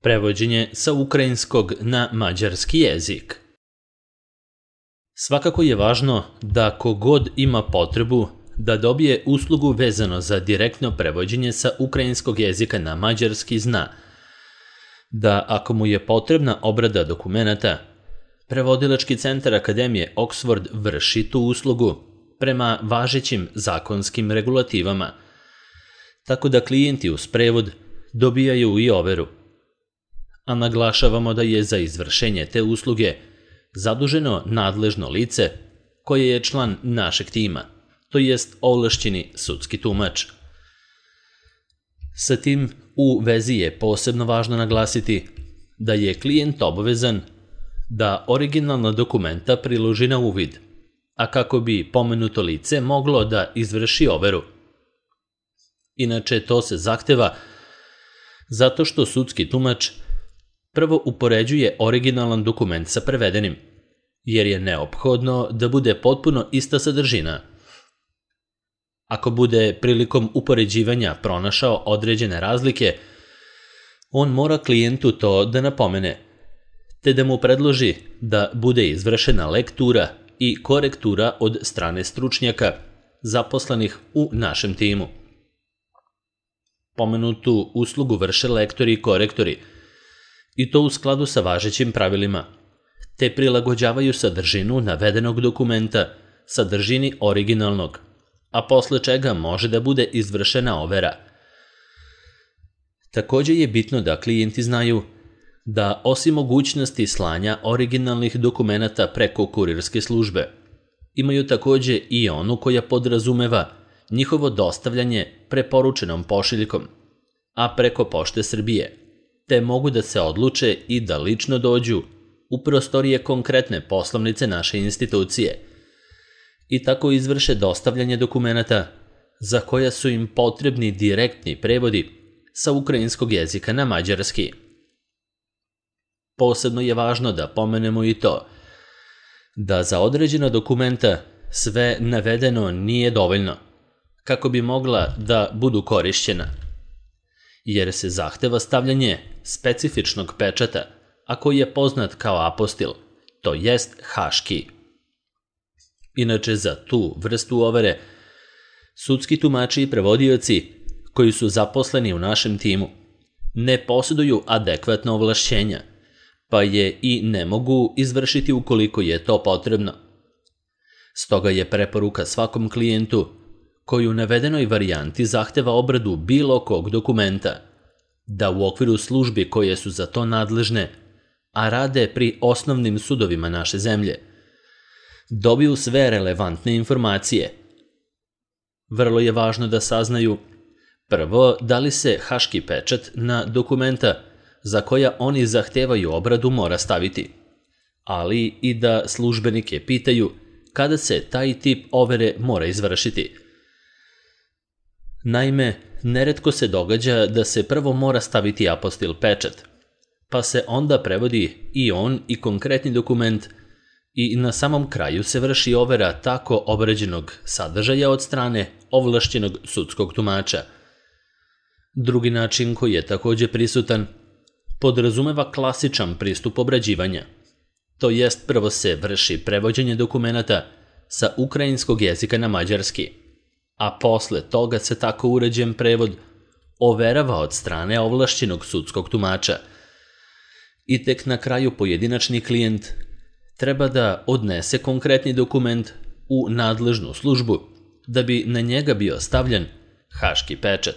Prevođenje sa ukrajinskog na mađarski jezik. Svakako je važno da kogod ima potrebu da dobije uslugu vezano za direktno prevođenje sa ukrajinskog jezika na mađarski zna da ako mu je potrebna obrada dokumenata, Prevodilački centar Akademije Oxford vrši tu uslugu prema važećim zakonskim regulativama, tako da klijenti uz prevod dobijaju i overu. A naglašavamo da je za izvršenje te usluge zaduženo nadležno lice koje je član našeg tima, to jest ovlašćeni sudski tumač. Sa tim u vezi je posebno važno naglasiti da je klijent obavezan da originalna dokumenta priloži na uvid, a kako bi pomenuto lice moglo da izvrši overu. Inače, to se zahteva zato što sudski tumač prvo upoređuje originalan dokument sa prevedenim, jer je neophodno da bude potpuno ista sadržina. Ako bude prilikom upoređivanja pronašao određene razlike, on mora klijentu to da napomene, te da mu predloži da bude izvršena lektura i korektura od strane stručnjaka zaposlenih u našem timu. Pomenutu uslugu vrše lektori i korektori, i to u skladu sa važećim pravilima, te prilagođavaju sadržinu navedenog dokumenta sadržini originalnog, a posle čega može da bude izvršena overa. Takođe je bitno da klijenti znaju da osim mogućnosti slanja originalnih dokumenata preko kurirske službe, imaju takođe i onu koja podrazumeva njihovo dostavljanje preporučenom pošiljkom, a preko Pošte Srbije, te mogu da se odluče i da lično dođu u prostorije konkretne poslovnice naše institucije i tako izvrše dostavljanje dokumenata za koja su im potrebni direktni prevodi sa ukrajinskog jezika na mađarski. Posebno je važno da pomenemo i to da za određena dokumenta sve navedeno nije dovoljno kako bi mogla da budu korišćena, jer se zahteva stavljanje specifičnog pečata, a koji je poznat kao apostil, to jest haški. Inače, za tu vrstu overe, sudski tumači i prevodioci koji su zaposleni u našem timu ne posjeduju adekvatna ovlašćenja, pa je i ne mogu izvršiti ukoliko je to potrebno. Stoga je preporuka svakom klijentu koji u navedenoj varijanti zahteva obradu bilo kog dokumenta, da u okviru službi koje su za to nadležne, a rade pri osnovnim sudovima naše zemlje, dobiju sve relevantne informacije. Vrlo je važno da saznaju prvo da li se haški pečat na dokumenta za koja oni zahtevaju obradu mora staviti, ali i da službenike pitaju kada se taj tip overe mora izvršiti. Naime, neretko se događa da se prvo mora staviti apostil pečat, pa se onda prevodi i on i konkretni dokument i na samom kraju se vrši overa tako obrađenog sadržaja od strane ovlašćenog sudskog tumača. Drugi način koji je takođe prisutan podrazumeva klasičan pristup obrađivanja, to jest prvo se vrši prevođenje dokumenata sa ukrajinskog jezika na mađarski, a posle toga se tako uređen prevod overava od strane ovlašćenog sudskog tumača. I tek na kraju pojedinačni klijent treba da odnese konkretni dokument u nadležnu službu da bi na njega bio stavljen haški pečat.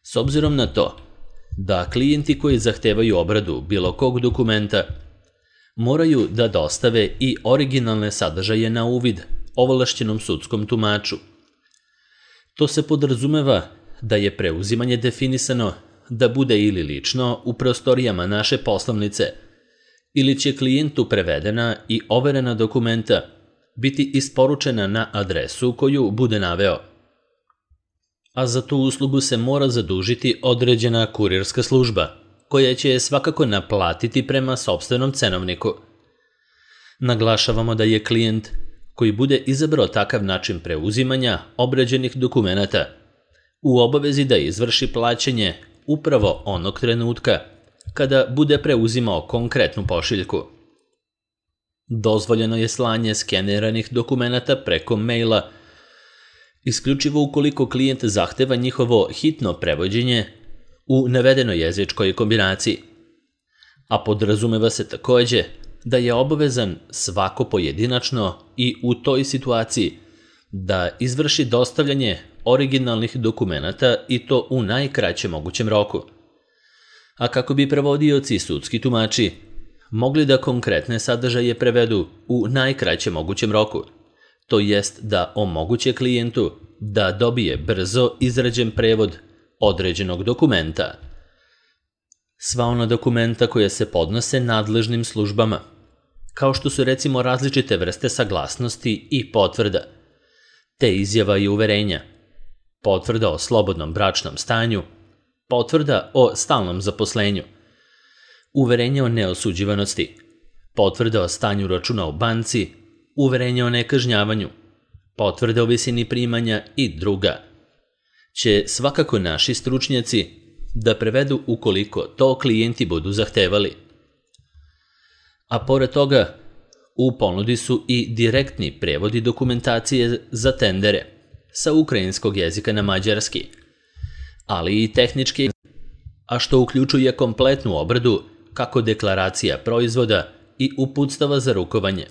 S obzirom na to da klijenti koji zahtevaju obradu bilo kog dokumenta moraju da dostave i originalne sadržaje na uvid ovlašćenom sudskom tumaču. To se podrazumeva da je preuzimanje definisano da bude ili lično u prostorijama naše poslovnice, ili će klijentu prevedena i overena dokumenta biti isporučena na adresu koju bude naveo. A za tu uslugu se mora zadužiti određena kurirska služba, koja će je svakako naplatiti prema sopstvenom cenovniku. Naglašavamo da je klijent koji bude izabrao takav način preuzimanja obrađenih dokumenata u obavezi da izvrši plaćanje upravo onog trenutka kada bude preuzimao konkretnu pošiljku. Dozvoljeno je slanje skeneranih dokumenata preko maila, isključivo ukoliko klijent zahteva njihovo hitno prevođenje u navedenoj jezičkoj kombinaciji, a podrazumeva se takođe da je obavezan svako pojedinačno i u toj situaciji da izvrši dostavljanje originalnih dokumenata i to u najkraćem mogućem roku. A kako bi prevodioci i sudski tumači mogli da konkretne sadržaje prevedu u najkraćem mogućem roku, to jest da omoguće klijentu da dobije brzo izrađen prevod određenog dokumenta. Sva ona dokumenta koja se podnose nadležnim službama, kao što su recimo različite vrste saglasnosti i potvrda, te izjava i uverenja, potvrda o slobodnom bračnom stanju, potvrda o stalnom zaposlenju, uverenje o neosuđivanosti, potvrda o stanju računa u banci, uverenje o nekažnjavanju, potvrda o visini primanja i druga, će svakako naši stručnjaci da prevedu ukoliko to klijenti budu zahtevali. A pored toga, u ponudi su i direktni prevodi dokumentacije za tendere sa ukrajinskog jezika na mađarski, ali i tehnički, a što uključuje kompletnu obradu kako deklaracija proizvoda i uputstava za rukovanje,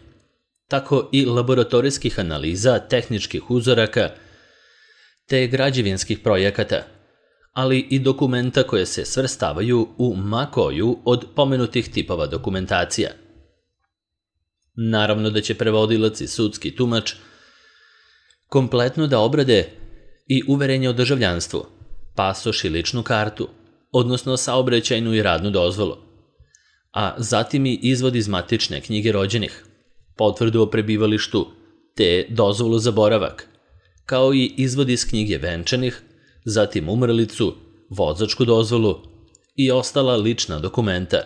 tako i laboratorijskih analiza tehničkih uzoraka te građevinskih projekata, ali i dokumenta koje se svrstavaju u ma koju od pomenutih tipova dokumentacija. Naravno da će prevodilac i sudski tumač kompletno da obrade i uverenje o državljanstvu, pasoš i ličnu kartu, odnosno saobraćajnu i radnu dozvolu, a zatim i izvod iz matične knjige rođenih, potvrdu o prebivalištu te dozvolu za boravak, kao i izvod iz knjige venčanih, zatim umrlicu, vozačku dozvolu i ostala lična dokumenta.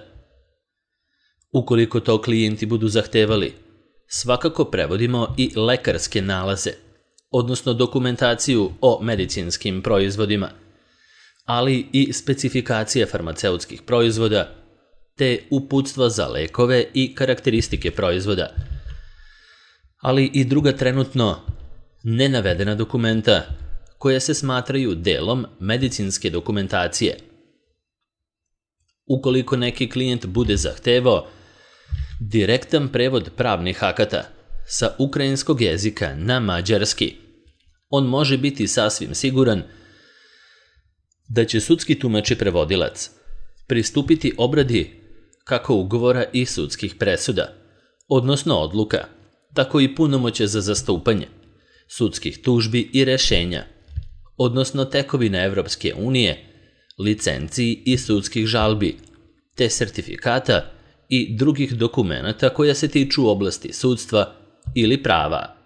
Ukoliko to klijenti budu zahtevali, svakako prevodimo i lekarske nalaze, odnosno dokumentaciju o medicinskim proizvodima, ali i specifikacije farmaceutskih proizvoda, te uputstva za lekove i karakteristike proizvoda, ali i druga trenutno nenavedena dokumenta koja se smatraju delom medicinske dokumentacije. Ukoliko neki klijent bude zahtevao direktan prevod pravnih akata sa ukrajinskog jezika na mađarski, on može biti sasvim siguran da će sudski tumač i prevodilac pristupiti obradi kako ugovora i sudskih presuda, odnosno odluka, tako i punomoće za zastupanje, sudskih tužbi i rešenja, odnosno tekovina Evropske unije, licenciji i sudskih žalbi, te sertifikata i drugih dokumenata koja se tiču oblasti sudstva ili prava.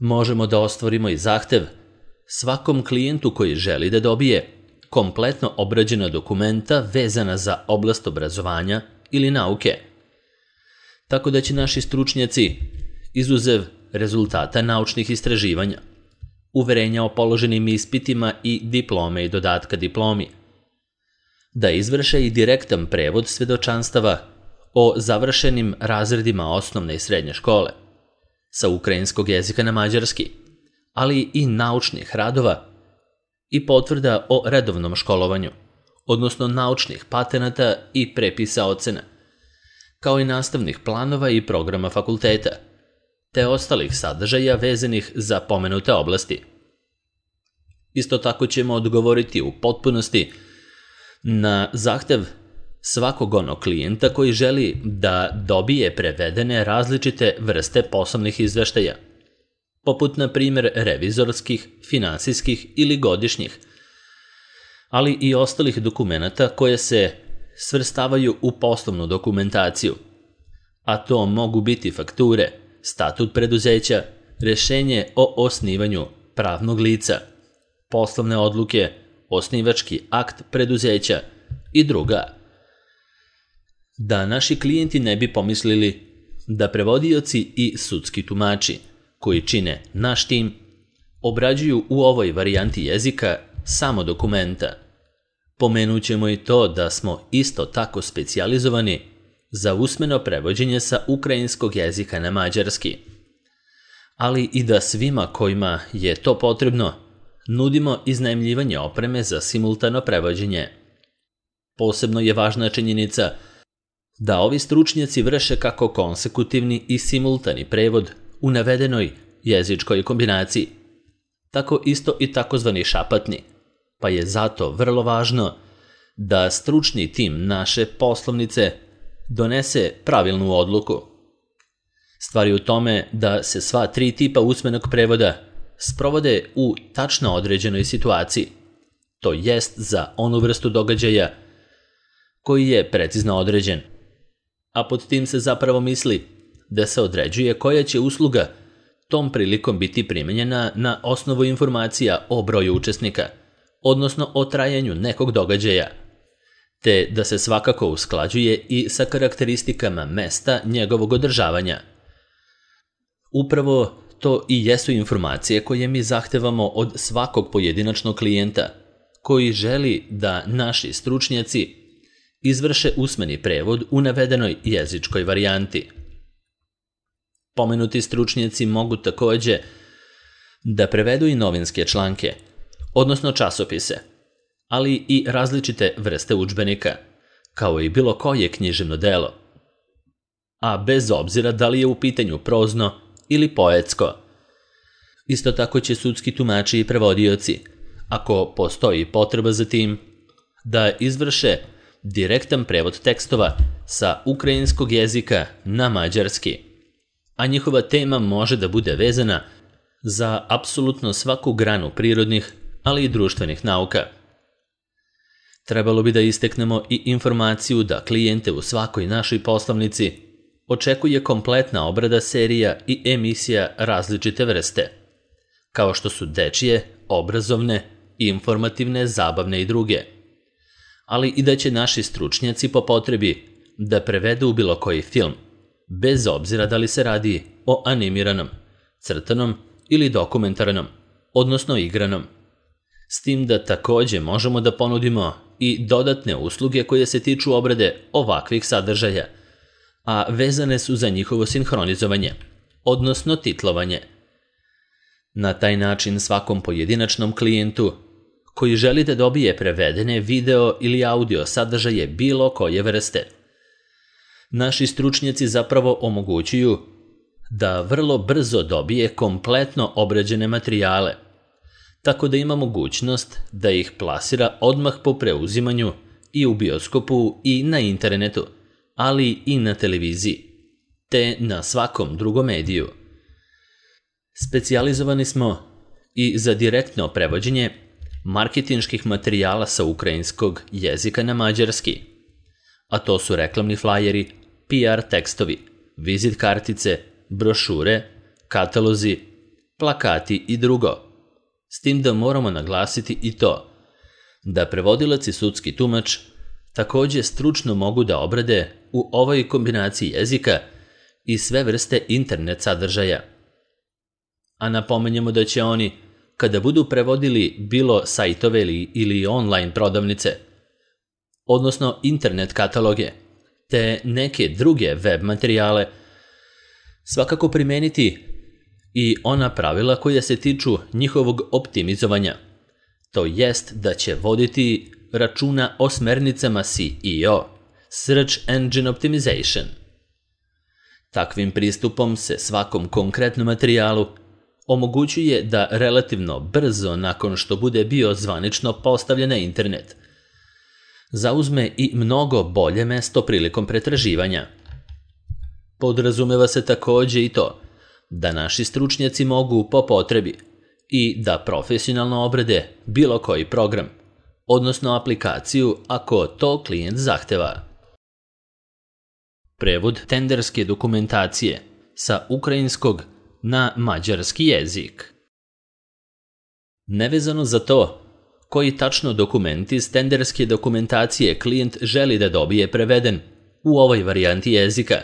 Možemo da ostvarimo i zahtev svakom klijentu koji želi da dobije kompletno obrađena dokumenta vezana za oblast obrazovanja ili nauke. Tako da će naši stručnjaci, izuzev rezultata naučnih istraživanja, uverenja o položenim ispitima i diplome i dodatka diplomi, da izvrše i direktan prevod svedočanstava o završenim razredima osnovne i srednje škole, sa ukrajinskog jezika na mađarski, ali i naučnih radova i potvrda o redovnom školovanju, odnosno naučnih patenata i prepisa ocena, kao i nastavnih planova i programa fakulteta, te ostalih sadržaja vezanih za pomenute oblasti. Isto tako ćemo odgovoriti u potpunosti na zahtev svakog onog klijenta koji želi da dobije prevedene različite vrste poslovnih izveštaja, poput na primjer revizorskih, finansijskih ili godišnjih, ali i ostalih dokumenata koje se svrstavaju u poslovnu dokumentaciju, a to mogu biti fakture, statut preduzeća, rešenje o osnivanju pravnog lica, poslovne odluke, osnivački akt preduzeća i druga. Da naši klijenti ne bi pomislili da prevodioci i sudski tumači koji čine naš tim obrađuju u ovoj varijanti jezika samo dokumenta, Pomenut ćemo i to da smo isto tako specijalizovani za usmeno prevođenje sa ukrajinskog jezika na mađarski, ali i da svima kojima je to potrebno nudimo iznajmljivanje opreme za simultano prevođenje. Posebno je važna činjenica da ovi stručnjaci vrše kako konsekutivni i simultani prevod u navedenoj jezičkoj kombinaciji, tako isto i takozvani šapatni, pa je zato vrlo važno da stručni tim naše poslovnice donese pravilnu odluku. Stvar je u tome da se sva 3 tipa usmenog prevoda sprovode u tačno određenoj situaciji, to jest za onu vrstu događaja koji je precizno određen. A pod tim se zapravo misli da se određuje koja će usluga tom prilikom biti primenjena na osnovu informacija o broju učesnika, odnosno o trajanju nekog događaja, te da se svakako usklađuje i sa karakteristikama mesta njegovog održavanja. Upravo to i jesu informacije koje mi zahtevamo od svakog pojedinačnog klijenta koji želi da naši stručnjaci izvrše usmeni prevod u navedenoj jezičkoj varijanti. Pomenuti stručnjaci mogu takođe da prevedu i novinske članke, odnosno časopise, ali i različite vrste udžbenika, kao i bilo koje književno delo, a bez obzira da li je u pitanju prozno ili poetsko. Isto tako će sudski tumači i prevodioci, ako postoji potreba za tim, da izvrše direktan prevod tekstova sa ukrajinskog jezika na mađarski, a njihova tema može da bude vezana za apsolutno svaku granu prirodnih, ali i društvenih nauka. Trebalo bi da isteknemo i informaciju da klijente u svakoj našoj poslovnici očekuje kompletna obrada serija i emisija različite vrste, kao što su dečije, obrazovne, informativne, zabavne i druge, ali i da će naši stručnjaci po potrebi da prevedu bilo koji film, bez obzira da li se radi o animiranom, crtanom ili dokumentarnom, odnosno igranom. S tim da takođe možemo da ponudimo i dodatne usluge koje se tiču obrade ovakvih sadržaja, a vezane su za njihovo sinhronizovanje, odnosno titlovanje. Na taj način svakom pojedinačnom klijentu koji želi da dobije prevedene video ili audio sadržaje bilo koje vrste, naši stručnjaci zapravo omogućuju da vrlo brzo dobije kompletno obrađene materijale, tako da ima mogućnost da ih plasira odmah po preuzimanju i u bioskopu i na internetu, ali i na televiziji, te na svakom drugom mediju. Specijalizovani smo i za direktno prevođenje marketinških materijala sa ukrajinskog jezika na mađarski, a to su reklamni flajeri, PR tekstovi, vizit kartice, brošure, katalozi, plakati i drugo. S tim da moramo naglasiti i to da prevodilac i sudski tumač takođe stručno mogu da obrade u ovoj kombinaciji jezika i sve vrste internet sadržaja. A napomenjemo da će oni, kada budu prevodili bilo sajtove ili online prodavnice, odnosno internet kataloge, te neke druge web materijale, svakako primeniti i ona pravila koja se tiču njihovog optimizovanja, to jest da će voditi računa o smernicama SEO, Search Engine Optimization. Takvim pristupom se svakom konkretnom materijalu omogućuje da relativno brzo nakon što bude bio zvanično postavljen na internet, zauzme i mnogo bolje mesto prilikom pretraživanja. Podrazumeva se takođe i to da naši stručnjaci mogu po potrebi i da profesionalno obrade bilo koji program, odnosno aplikaciju ako to klijent zahteva. Prevod tenderske dokumentacije sa ukrajinskog na mađarski jezik. Nevezano za to koji tačno dokument iz tenderske dokumentacije klijent želi da dobije preveden u ovoj varijanti jezika,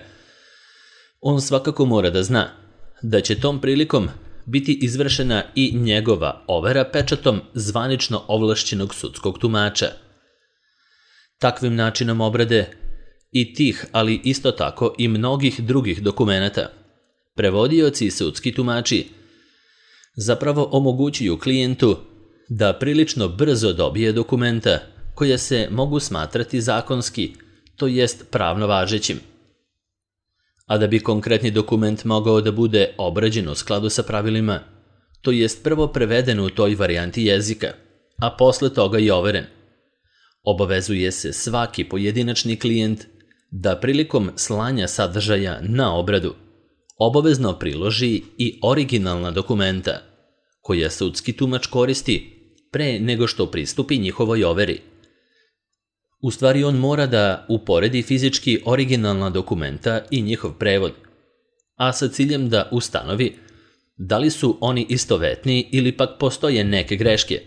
on svakako mora da zna da će tom prilikom biti izvršena i njegova overa pečatom zvanično ovlašćenog sudskog tumača, Takvim načinom obrade i tih, ali isto tako i mnogih drugih dokumenata, prevodioci i sudski tumači zapravo omogućuju klijentu da prilično brzo dobije dokumenta koja se mogu smatrati zakonski, to jest pravno važećim. A da bi konkretni dokument mogao da bude obrađen u skladu sa pravilima, to jest prvo preveden u toj varijanti jezika, a posle toga i overen, obavezuje se svaki pojedinačni klijent da prilikom slanja sadržaja na obradu obavezno priloži i originalna dokumenta koja sudski tumač koristi pre nego što pristupi njihovoj overi. U stvari on mora da uporedi fizički originalna dokumenta i njihov prevod, a sa ciljem da ustanovi da li su oni istovetni ili pak postoje neke greške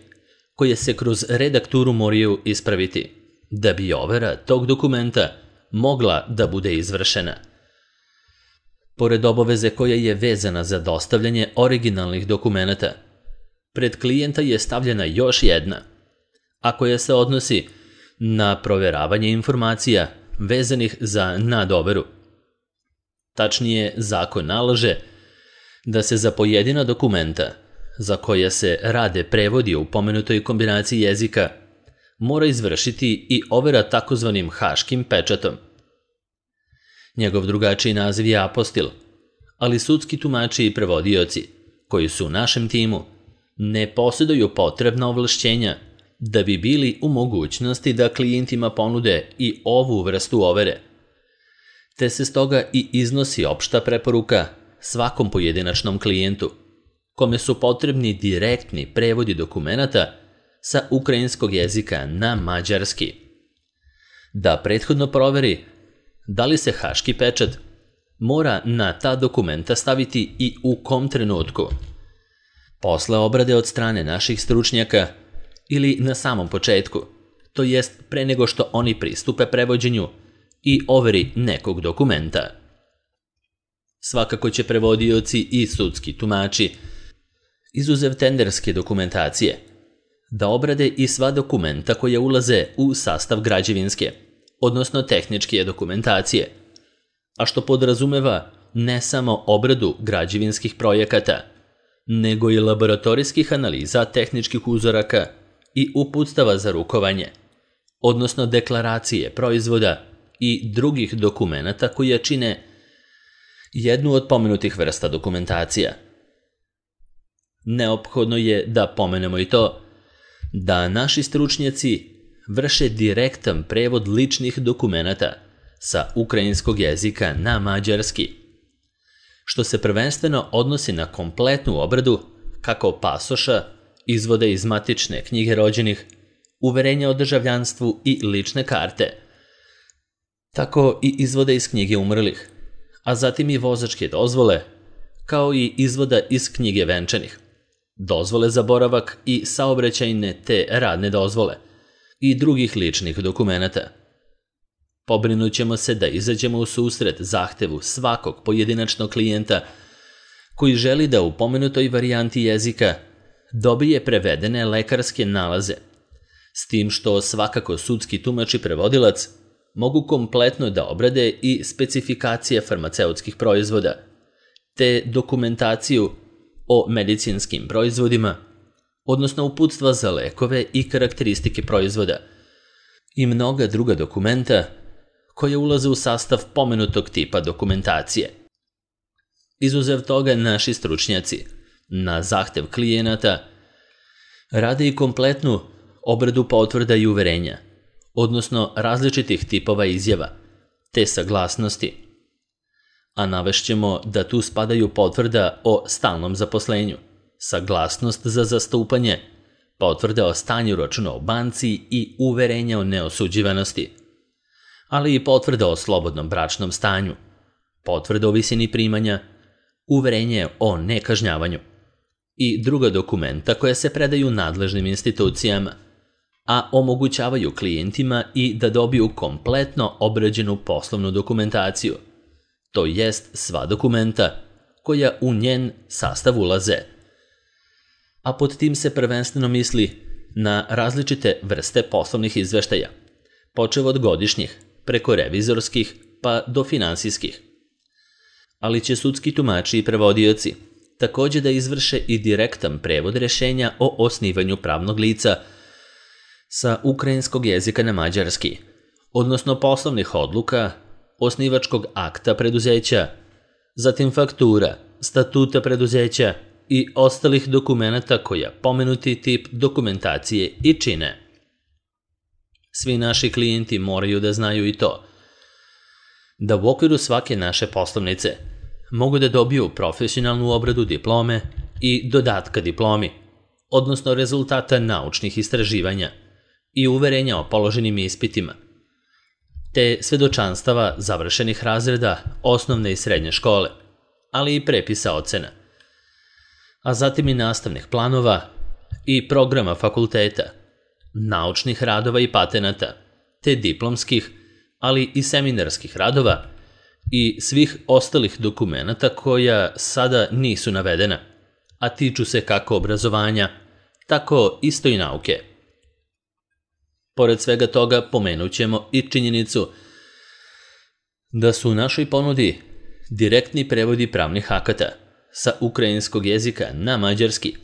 koje se kroz redakturu moraju ispraviti da bi overa tog dokumenta mogla da bude izvršena. Pored obaveze koja je vezana za dostavljanje originalnih dokumenata, pred klijenta je stavljena još jedna, a koja se odnosi na proveravanje informacija vezanih za nadoveru. Tačnije, zakon nalaže da se za pojedina dokumenta za koja se rade prevodi u pomenutoj kombinaciji jezika mora izvršiti i overa takozvanim haškim pečatom. Njegov drugačiji naziv je apostil, ali sudski tumači i prevodioci, koji su u našem timu, ne posjeduju potrebna ovlašćenja da bi bili u mogućnosti da klijentima ponude i ovu vrstu overe, te se stoga i iznosi opšta preporuka svakom pojedinačnom klijentu, kome su potrebni direktni prevodi dokumenata sa ukrajinskog jezika na mađarski, da prethodno proveri da li se haški pečat mora na ta dokumenta staviti i u kom trenutku, posle obrade od strane naših stručnjaka ili na samom početku, to jest pre nego što oni pristupe prevođenju i overi nekog dokumenta. Svakako će prevodioci i sudski tumači, izuzev tenderske dokumentacije, da obrade i sva dokumenta koja ulaze u sastav građevinske, odnosno tehničke dokumentacije, a što podrazumeva ne samo obradu građevinskih projekata, nego i laboratorijskih analiza tehničkih uzoraka i uputstava za rukovanje, odnosno deklaracije proizvoda i drugih dokumenata koje čine jednu od pomenutih vrsta dokumentacija. Neophodno je da pomenemo i to da naši stručnjaci vrše direktan prevod ličnih dokumenata sa ukrajinskog jezika na mađarski, što se prvenstveno odnosi na kompletnu obradu kako pasoša, izvode iz matične knjige rođenih, uverenja o državljanstvu i lične karte, tako i izvode iz knjige umrlih, a zatim i vozačke dozvole, kao i izvoda iz knjige venčanih, dozvole za boravak i saobraćajne te radne dozvole i drugih ličnih dokumenata. Pobrinut ćemo se da izađemo u susret zahtevu svakog pojedinačnog klijenta koji želi da u pomenutoj varijanti jezika dobije prevedene lekarske nalaze, s tim što svakako sudski tumač i prevodilac mogu kompletno da obrade i specifikacije farmaceutskih proizvoda, te dokumentaciju o medicinskim proizvodima, odnosno uputstva za lekove i karakteristike proizvoda, i mnoga druga dokumenta koje ulaze u sastav pomenutog tipa dokumentacije. Izuzev toga, naši stručnjaci, na zahtev klijenata, rade i kompletnu obradu potvrda i uverenja, odnosno različitih tipova izjava, te saglasnosti. A navešćemo da tu spadaju potvrda o stalnom zaposlenju, saglasnost za zastupanje, potvrda o stanju računa u banci i uverenja o neosuđivanosti, ali i potvrda o slobodnom bračnom stanju, potvrda o visini primanja, uverenje o nekažnjavanju i druga dokumenta koja se predaju nadležnim institucijama, a omogućavaju klijentima i da dobiju kompletno obrađenu poslovnu dokumentaciju, to jest sva dokumenta koja u njen sastav ulaze. A pod tim se prvenstveno misli na različite vrste poslovnih izveštaja, počev od godišnjih, preko revizorskih pa do finansijskih. Ali će sudski tumači i prevodioci također da izvrše i direktan prevod rješenja o osnivanju pravnog lica sa ukrajinskog jezika na mađarski, odnosno poslovnih odluka, osnivačkog akta preduzeća, zatim faktura, statuta preduzeća i ostalih dokumenata koja pomenuti tip dokumentacije i čine. Svi naši klijenti moraju da znaju i to, da u okviru svake naše poslovnice mogu da dobiju profesionalnu obradu diplome i dodatka diplomi, odnosno rezultata naučnih istraživanja i uverenja o položenim ispitima, te svedočanstava završenih razreda osnovne i srednje škole, ali i prepisa ocena, a zatim i nastavnih planova i programa fakulteta, naučnih radova i patenata, te diplomskih, ali i seminarskih radova i svih ostalih dokumenata koja sada nisu navedena, a tiču se kako obrazovanja, tako isto i nauke. Pored svega toga pomenut ćemo i činjenicu da su u našoj ponudi direktni prevodi pravnih akata sa ukrajinskog jezika na mađarski,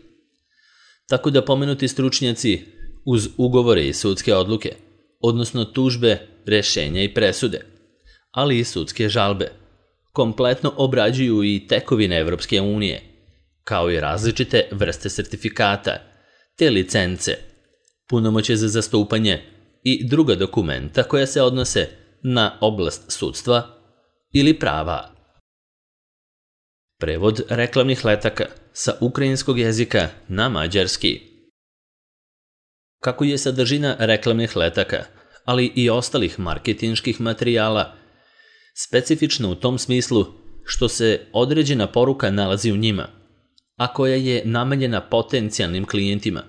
tako da pomenuti stručnjaci uz ugovore i sudske odluke, odnosno tužbe, rješenja i presude, ali i sudske žalbe, kompletno obrađuju i tekovine Evropske unije, kao i različite vrste sertifikata, te licence, punomoćje za zastupanje i druga dokumenta koja se odnose na oblast sudstva ili prava. Prevod reklamnih letaka sa ukrajinskog jezika na mađarski. Kako je sadržina reklamnih letaka, ali i ostalih marketinških materijala, specifična u tom smislu što se određena poruka nalazi u njima, a koja je namenjena potencijalnim klijentima.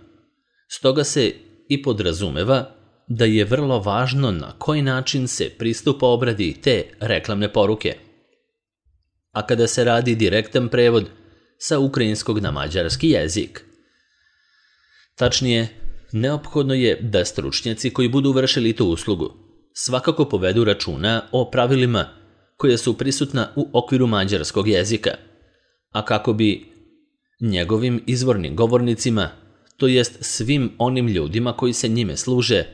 Stoga se i podrazumeva da je vrlo važno na koji način se pristupa obradi te reklamne poruke. A kada se radi direktan prevod sa ukrajinskog na mađarski jezik. Tačnije, neophodno je da stručnjaci koji budu vršili tu uslugu svakako povedu računa o pravilima koja su prisutna u okviru mađarskog jezika, a kako bi njegovim izvornim govornicima, to jest svim onim ljudima koji se njime služe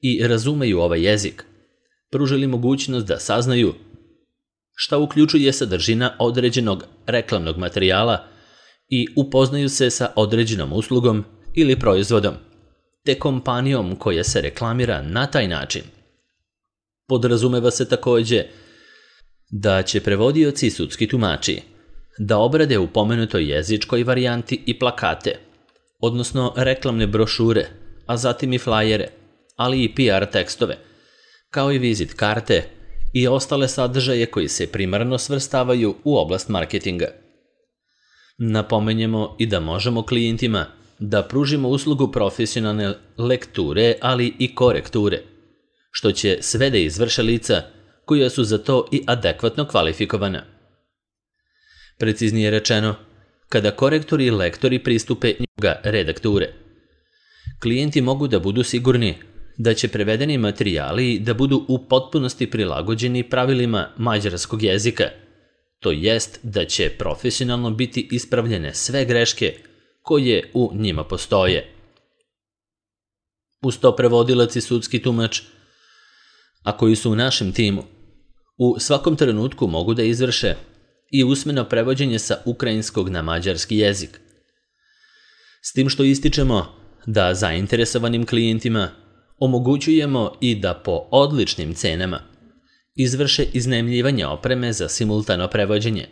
i razumeju ovaj jezik, pružili mogućnost da saznaju šta uključuje sadržina određenog reklamnog materijala i upoznaju se sa određenom uslugom ili proizvodom, te kompanijom koja se reklamira na taj način. Podrazumeva se također da će prevodioci i sudski tumači da obrade u pomenutoj jezičkoj varijanti i plakate, odnosno reklamne brošure, a zatim i flajere, ali i PR tekstove, kao i vizit karte i ostale sadržaje koji se primarno svrstavaju u oblast marketinga. Napomenjemo i da možemo klijentima da pružimo uslugu profesionalne lekture, ali i korekture, što će sve da izvrše lica koja su za to i adekvatno kvalifikovana. Preciznije rečeno, kada korektori i lektori pristupe njega redakture, klijenti mogu da budu sigurni da će prevedeni materijali da budu u potpunosti prilagođeni pravilima mađarskog jezika, to jest da će profesionalno biti ispravljene sve greške koje u njima postoje. Uz to prevodilac i sudski tumač, a koji su u našem timu, u svakom trenutku mogu da izvrše i usmeno prevođenje sa ukrajinskog na mađarski jezik. S tim što ističemo da zainteresovanim klijentima omogućujemo i da po odličnim cenama izvrše iznajmljivanje opreme za simultano prevođenje,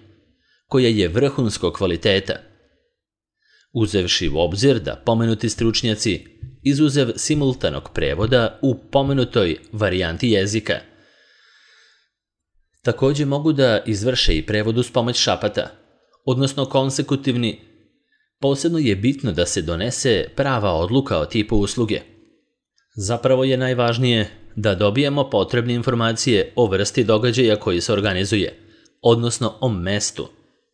koja je vrhunskog kvaliteta, uzevši u obzir da pomenuti stručnjaci izuzev simultanog prevoda u pomenutoj varijanti jezika također mogu da izvrše i prevod uz pomoć šapata, odnosno konsekutivni. Posebno je bitno da se donese prava odluka o tipu usluge. Zapravo je najvažnije da dobijemo potrebne informacije o vrsti događaja koji se organizuje, odnosno o mestu,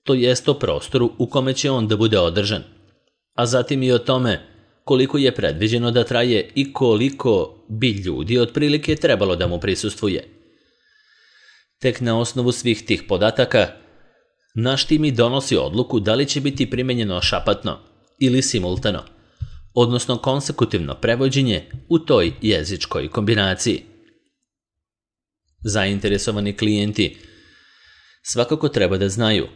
to jest o prostoru u kome će on da bude održan, a zatim i o tome koliko je predviđeno da traje i koliko bi ljudi otprilike trebalo da mu prisustvuje. Tek na osnovu svih tih podataka, naš tim i donosi odluku da li će biti primenjeno šapatno ili simultano, odnosno konsekutivno prevođenje u toj jezičkoj kombinaciji. Zainteresovani klijenti svakako treba da znaju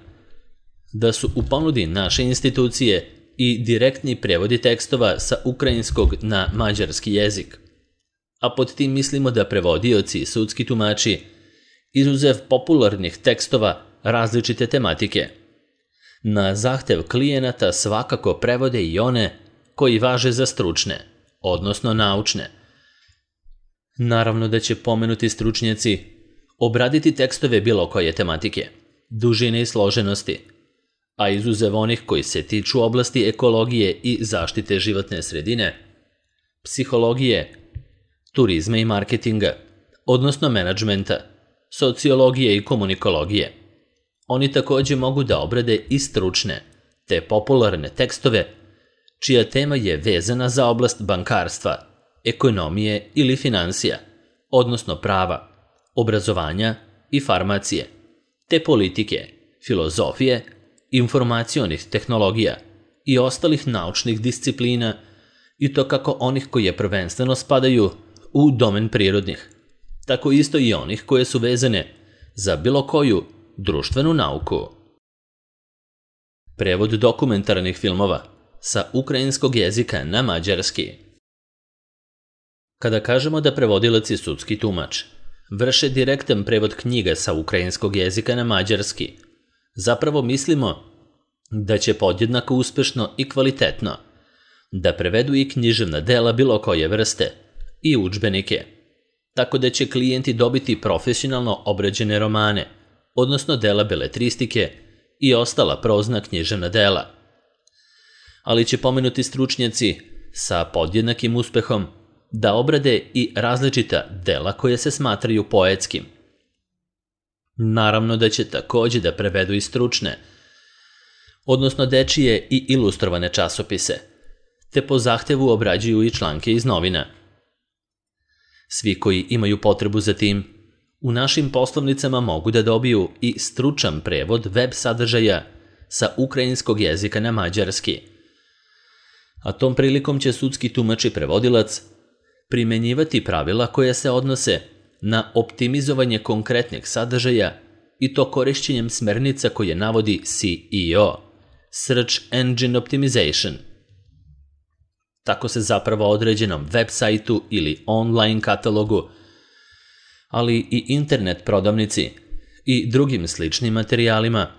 da su u ponudi naše institucije i direktni prevodi tekstova sa ukrajinskog na mađarski jezik, a pod tim mislimo da prevodioci i sudski tumači, izuzev popularnih tekstova različite tematike, na zahtev klijenata svakako prevode i one koji važe za stručne, odnosno naučne. Naravno da će pomenuti stručnjaci obraditi tekstove bilo koje tematike, dužine i složenosti, a izuzev onih koji se tiču oblasti ekologije i zaštite životne sredine, psihologije, turizma i marketinga, odnosno menadžmenta, sociologije i komunikologije. Oni takođe mogu da obrade i stručne, te popularne tekstove, čija tema je vezana za oblast bankarstva, ekonomije ili finansija, odnosno prava, obrazovanja i farmacije, te politike, filozofije, informacionih tehnologija i ostalih naučnih disciplina, i to kako onih koje prvenstveno spadaju u domen prirodnih, tako isto i onih koje su vezane za bilo koju društvenu nauku. Prevod dokumentarnih filmova sa ukrajinskog jezika na mađarski. Kada kažemo da prevodilac i sudski tumač vrše direktan prevod knjiga sa ukrajinskog jezika na mađarski, zapravo mislimo da će podjednako uspešno i kvalitetno da prevedu i književna dela bilo koje vrste i udžbenike, tako da će klijenti dobiti profesionalno obrađene romane, odnosno dela beletristike i ostala prozna književna dela. Ali će pomenuti stručnjaci sa podjednakim uspehom da obrade i različita dela koje se smatraju poetskim. Naravno da će takođe da prevedu i stručne, odnosno dečije i ilustrovane časopise, te po zahtevu obrađuju i članke iz novina. Svi koji imaju potrebu za tim, u našim poslovnicama mogu da dobiju i stručan prevod web sadržaja sa ukrajinskog jezika na mađarski. A tom prilikom će sudski tumač i prevodilac primenjivati pravila koja se odnose na optimizovanje konkretnih sadržaja i to korišćenjem smernica koje navodi SEO, Search Engine Optimization. Tako se zapravo određenom web sajtu ili online katalogu, ali i internet prodavnici i drugim sličnim materijalima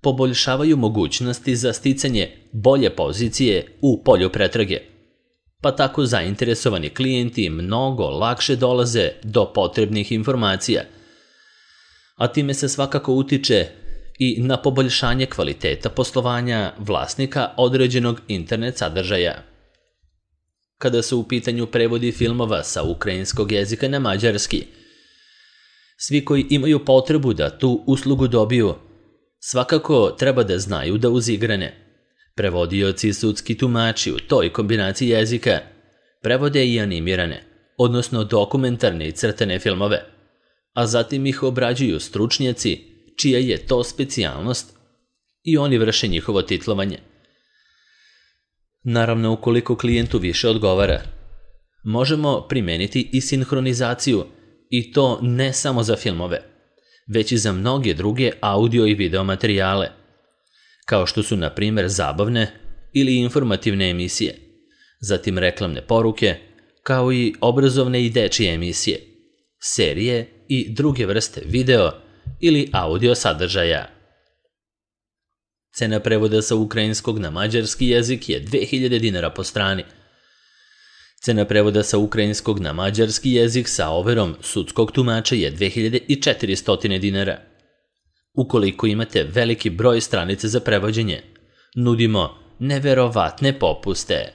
poboljšavaju mogućnosti za sticanje bolje pozicije u polju pretrage, pa tako zainteresovani klijenti mnogo lakše dolaze do potrebnih informacija, a time se svakako utiče i na poboljšanje kvaliteta poslovanja vlasnika određenog internet sadržaja. Kada su u pitanju prevodi filmova sa ukrajinskog jezika na mađarski, svi koji imaju potrebu da tu uslugu dobiju, svakako treba da znaju da uz igrane prevodioci i sudski tumači u toj kombinaciji jezika prevode i animirane, odnosno dokumentarne i crtane filmove, a zatim ih obrađuju stručnjaci čija je to specijalnost i oni vrše njihovo titlovanje. Naravno, ukoliko klijentu više odgovara, možemo primeniti i sinhronizaciju, i to ne samo za filmove, već i za mnoge druge audio i video materijale, kao što su, na primjer, zabavne ili informativne emisije, zatim reklamne poruke, kao i obrazovne i dečije emisije, serije i druge vrste video ili audio sadržaja. Cena prevoda sa ukrajinskog na mađarski jezik je 2000 dinara po strani. Cena prevoda sa ukrajinskog na mađarski jezik sa overom sudskog tumača je 2400 dinara. Ukoliko imate veliki broj stranica za prevođenje, nudimo neverovatne popuste.